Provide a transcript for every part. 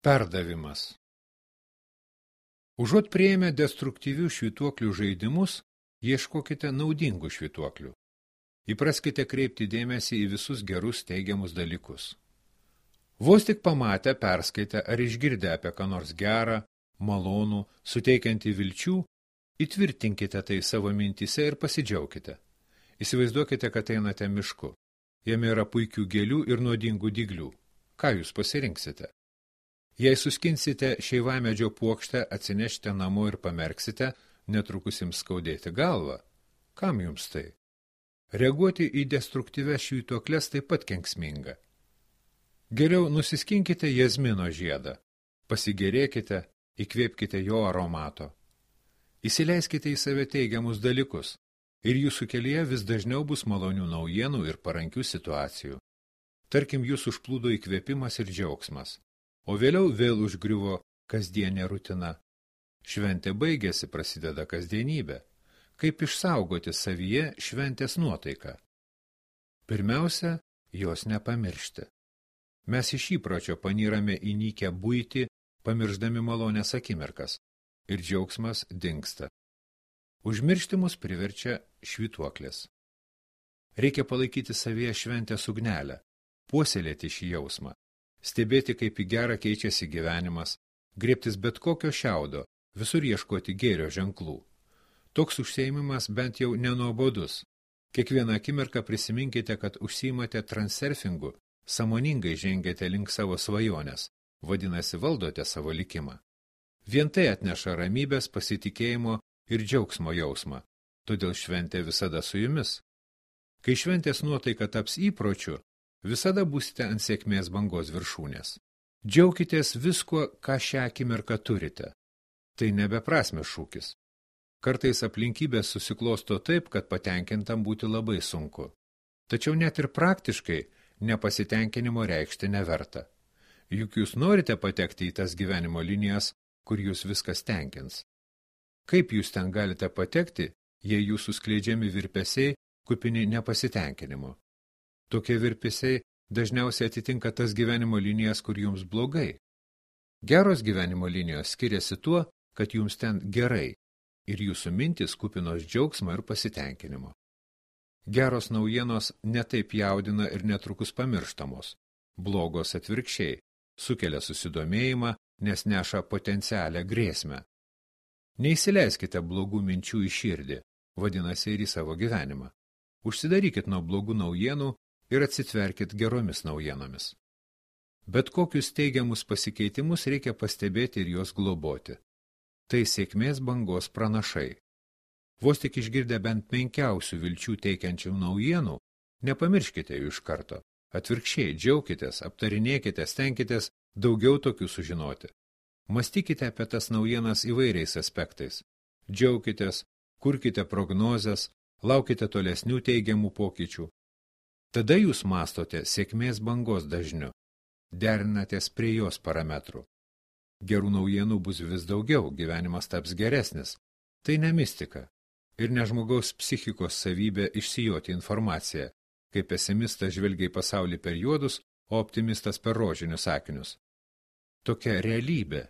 Perdavimas. Užuot priėmę destruktyvių švytuoklių žaidimus, ieškokite naudingų švytuoklių. Įpraskite kreipti dėmesį į visus gerus teigiamus dalykus. Vos tik pamatę, perskaitę ar išgirdę apie ką nors gerą, malonų, suteikiantį vilčių, įtvirtinkite tai savo mintyse ir pasidžiaukite. Įsivaizduokite, kad einate mišku. Jame yra puikių gėlių ir nuodingų dyglių. Ką jūs pasirinksite? Jei suskinsite šeivamedžio puokštę, atsinešite namo ir pamerksite, netrukus jums skaudėti galvą. Kam jums tai? Reaguoti į destruktyves švytuokles taip pat kenksminga. Geriau nusiskinkite jazmino žiedą, pasigėrėkite, įkvėpkite jo aromato. Įsileiskite į save teigiamus dalykus ir jūsų kelyje vis dažniau bus malonių naujienų ir parankių situacijų. Tarkim, jūs užplūdo įkvėpimas ir džiaugsmas. O vėliau vėl užgriuvo kasdienė rutina. Šventė baigėsi, prasideda kasdienybė. Kaip išsaugoti savyje šventės nuotaiką? Pirmiausia, jos nepamiršti. Mes iš įpročio panyrame į nykią buitį, pamirždami malonės akimirkas, ir džiaugsmas dingsta. Užmiršti mus priverčia švytuoklės. Reikia palaikyti savyje šventės ugnelę, puoselėti šį jausmą. Stebėti, kaip į gerą keičiasi gyvenimas, griebtis bet kokio šiaudo, visur ieškoti gėrio ženklų. Toks užsiėmimas bent jau nenuobodus. Kiekvieną akimirką prisiminkite, kad užsiimate transurfingu, sąmoningai žengėte link savo svajonės, vadinasi, valdote savo likimą. Vien tai atneša ramybės, pasitikėjimo ir džiaugsmo jausmą, todėl šventė visada su jumis. Kai šventės nuotaika taps įpročiu, visada būsite ant sėkmės bangos viršūnės. Džiaukitės viskuo, ką šią akimirką turite. Tai nebeprasmės šūkis. Kartais aplinkybės susiklosto taip, kad patenkintam būti labai sunku. Tačiau net ir praktiškai nepasitenkinimo reikšti neverta. Juk jūs norite patekti į tas gyvenimo linijas, kur jūs viskas tenkins. Kaip jūs ten galite patekti, jei jūsų skleidžiami virpesiai kupini nepasitenkinimo? Tokie virpesiai dažniausiai atitinka tas gyvenimo linijas, kur jums blogai. Geros gyvenimo linijos skiriasi tuo, kad jums ten gerai ir jūsų mintis kupinos džiaugsmo ir pasitenkinimo. Geros naujienos netaip jaudina ir netrukus pamirštamos. Blogos atvirkščiai, sukelia susidomėjimą, nes neša potencialią grėsmę. Neįsileiskite blogų minčių į širdį, vadinasi ir į savo gyvenimą. Užsidarykit nuo blogų naujienų ir atsitverkit geromis naujienomis. Bet kokius teigiamus pasikeitimus reikia pastebėti ir juos globoti. Tai sėkmės bangos pranašai. Vos tik išgirdę bent menkiausių vilčių teikiančių naujienų, nepamirškite jų iš karto. Atvirkščiai, džiaukitės, aptarinėkite, stenkitės daugiau tokių sužinoti. Mąstykite apie tas naujienas įvairiais aspektais. Džiaukitės, kurkite prognozes, laukite tolesnių teigiamų pokyčių. Tada jūs mastote sėkmės bangos dažniu, derinatės prie jos parametrų. Gerų naujienų bus vis daugiau, gyvenimas taps geresnis. Tai ne mistika ir ne žmogaus psichikos savybė išsijoti informaciją, kai pesimistas žvelgia į pasaulį per juodus, o optimistas per rožinius akinius. Tokia realybė.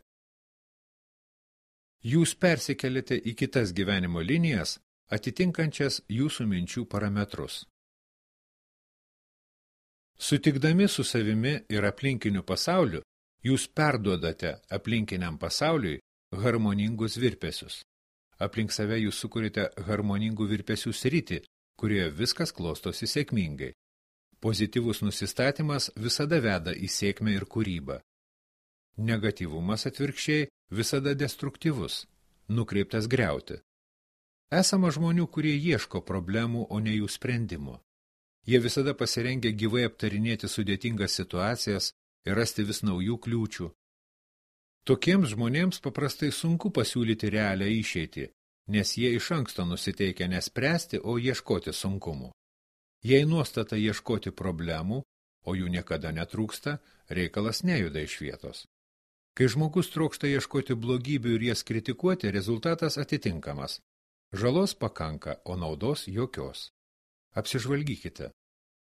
Jūs persikeliate į kitas gyvenimo linijas, atitinkančias jūsų minčių parametrus. Sutikdami su savimi ir aplinkiniu pasauliu, jūs perduodate aplinkiniam pasauliui harmoningus virpesius. Aplink save jūs sukūrite harmoningų virpesių sritį, kurioje viskas klostosi sėkmingai. Pozityvus nusistatymas visada veda į sėkmę ir kūrybą. Negatyvumas atvirkščiai visada destruktyvus, nukreiptas griauti. Esama žmonių, kurie ieško problemų, o ne jų sprendimų. Jie visada pasirengia gyvai aptarinėti sudėtingas situacijas ir rasti vis naujų kliūčių. Tokiems žmonėms paprastai sunku pasiūlyti realią išeitį, nes jie iš anksto nusiteikia nespręsti, o ieškoti sunkumų. Jei nuostata ieškoti problemų, o jų niekada netrūksta, reikalas nejuda iš vietos. Kai žmogus trokšta ieškoti blogybių ir jas kritikuoti, rezultatas atitinkamas. Žalos pakanka, o naudos jokios. Apsižvalgykite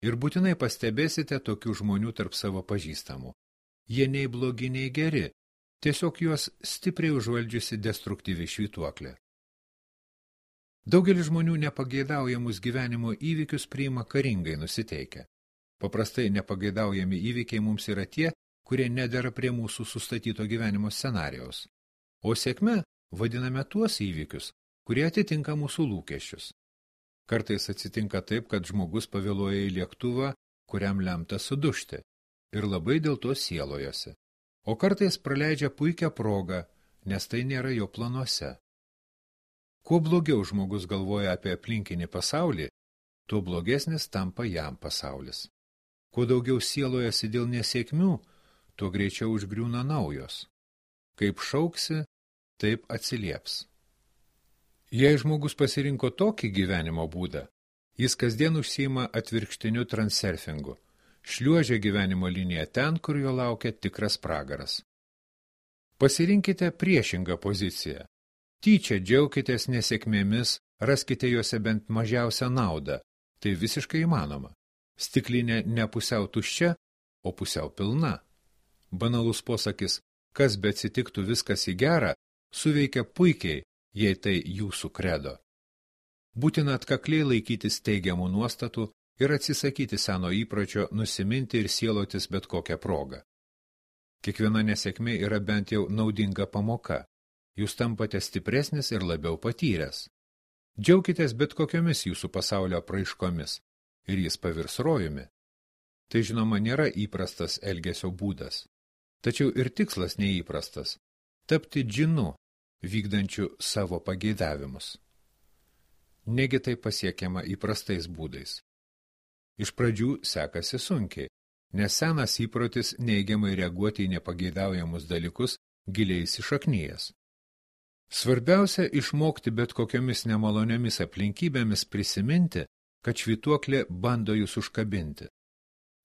ir būtinai pastebėsite tokių žmonių tarp savo pažįstamų. Jie nei blogi, nei geri, tiesiog juos stipriai užvaldžiusi destruktyvi švytuoklė. Daugelis žmonių nepageidaujamus gyvenimo įvykius priima karingai nusiteikę. Paprastai nepageidaujami įvykiai mums yra tie, kurie nedera prie mūsų sustatyto gyvenimo scenarijaus. O sėkme vadiname tuos įvykius, kurie atitinka mūsų lūkesčius. Kartais atsitinka taip, kad žmogus pavėluoja į lėktuvą, kuriam lemta sudužti, ir labai dėl to sielojasi. O kartais praleidžia puikią progą, nes tai nėra jo planuose. Kuo blogiau žmogus galvoja apie aplinkinį pasaulį, tuo blogesnis tampa jam pasaulis. Kuo daugiau sielojasi dėl nesėkmių, tuo greičiau užgriūna naujos. Kaip šauksi, taip atsilieps. Jei žmogus pasirinko tokį gyvenimo būdą, jis kasdien užsiima atvirkštiniu transurfingu, šliuožia gyvenimo liniją ten, kur jo laukia tikras pragaras. Pasirinkite priešingą poziciją. Tyčia džiaukitės nesėkmėmis, raskite juose bent mažiausią naudą. Tai visiškai įmanoma. Stiklinė ne pusiau tuščia, o pusiau pilna. Banalus posakis, kas be atsitiktų viskas į gerą, suveikia puikiai, jei tai jūsų kredo. Būtina atkakliai laikytis teigiamų nuostatų ir atsisakyti seno įpročio nusiminti ir sielotis bet kokią progą. Kiekviena nesėkmė yra bent jau naudinga pamoka. Jūs tampate stipresnis ir labiau patyręs. Džiaukitės bet kokiomis jūsų pasaulio apraiškomis ir jis pavirs rojumi. Tai žinoma nėra įprastas elgesio būdas. Tačiau ir tikslas neįprastas – tapti džinu, vykdančiu savo pageidavimus. Negi tai pasiekiama įprastais būdais. Iš pradžių sekasi sunkiai, nes senas įprotis neigiamai reaguoti į nepageidaujamus dalykus giliai įsišaknyjęs. Svarbiausia išmokti bet kokiomis nemaloniomis aplinkybėmis prisiminti, kad švytuoklė bando jūs užkabinti.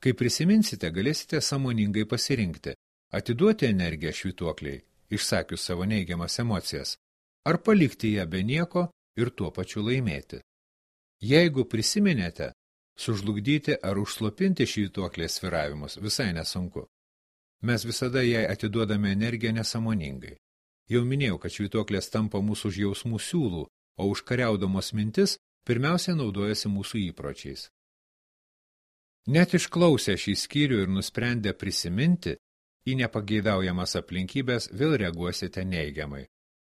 Kai prisiminsite, galėsite sąmoningai pasirinkti, atiduoti energiją švytuokliai, išsakius savo neigiamas emocijas, ar palikti ją be nieko ir tuo pačiu laimėti. Jeigu prisiminėte, sužlugdyti ar užslopinti švytuoklės sviravimus visai nesunku. Mes visada jai atiduodame energiją nesąmoningai. Jau minėjau, kad švytuoklės tampa mūsų jausmų siūlų, o užkariaudamos mintis pirmiausia naudojasi mūsų įpročiais. Net išklausę šį skyrių ir nusprendę prisiminti, į nepageidaujamas aplinkybės vėl reaguosite neigiamai.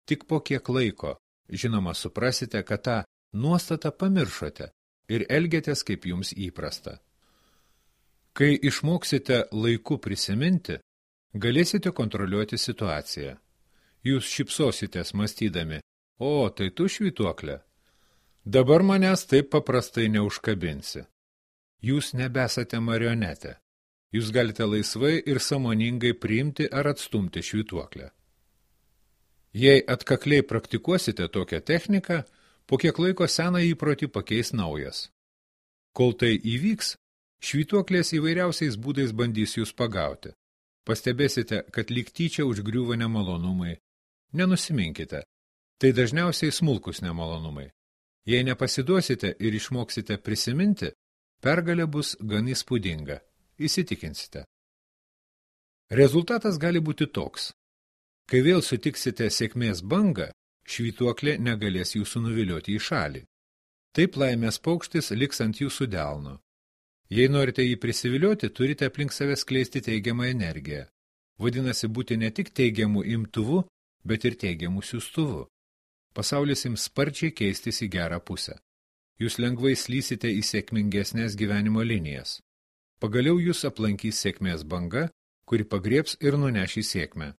Tik po kiek laiko, žinoma, suprasite, kad tą nuostatą pamiršote ir elgiatės kaip jums įprasta. Kai išmoksite laiku prisiminti, galėsite kontroliuoti situaciją. Jūs šypsositės mąstydami, o, tai tu švytuoklė. Dabar manęs taip paprastai neužkabinsi. Jūs nebesate marionetė. Jūs galite laisvai ir sąmoningai priimti ar atstumti švytuoklę. Jei atkakliai praktikuosite tokią techniką, po kiek laiko seną įprotį pakeis naujas. Kol tai įvyks, švytuoklės įvairiausiais būdais bandys jūs pagauti. Pastebėsite, kad lyg tyčia užgriūva nemalonumai. Nenusiminkite. Tai dažniausiai smulkus nemalonumai. Jei nepasiduosite ir išmoksite prisiminti, pergalė bus gan įspūdinga. Įsitikinsite. Rezultatas gali būti toks. Kai vėl sutiksite sėkmės bangą, švytuoklė negalės jūsų nuvilioti į šalį. Taip laimės paukštis liks ant jūsų delno. Jei norite jį prisivilioti, turite aplink save skleisti teigiamą energiją. Vadinasi, būti ne tik teigiamų imtuvu, bet ir teigiamų siųstuvu. Pasaulis ims sparčiai keistis į gerą pusę. Jūs lengvai slysite į sėkmingesnės gyvenimo linijas. Pagaliau jūs aplankys sėkmės banga, kuri pagriebs ir nuneš į sėkmę.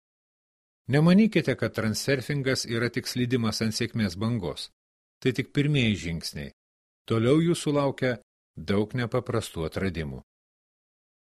Nemanykite, kad transurfingas yra tik slydimas ant sėkmės bangos. Tai tik pirmieji žingsniai. Toliau jūsų laukia daug nepaprastų atradimų.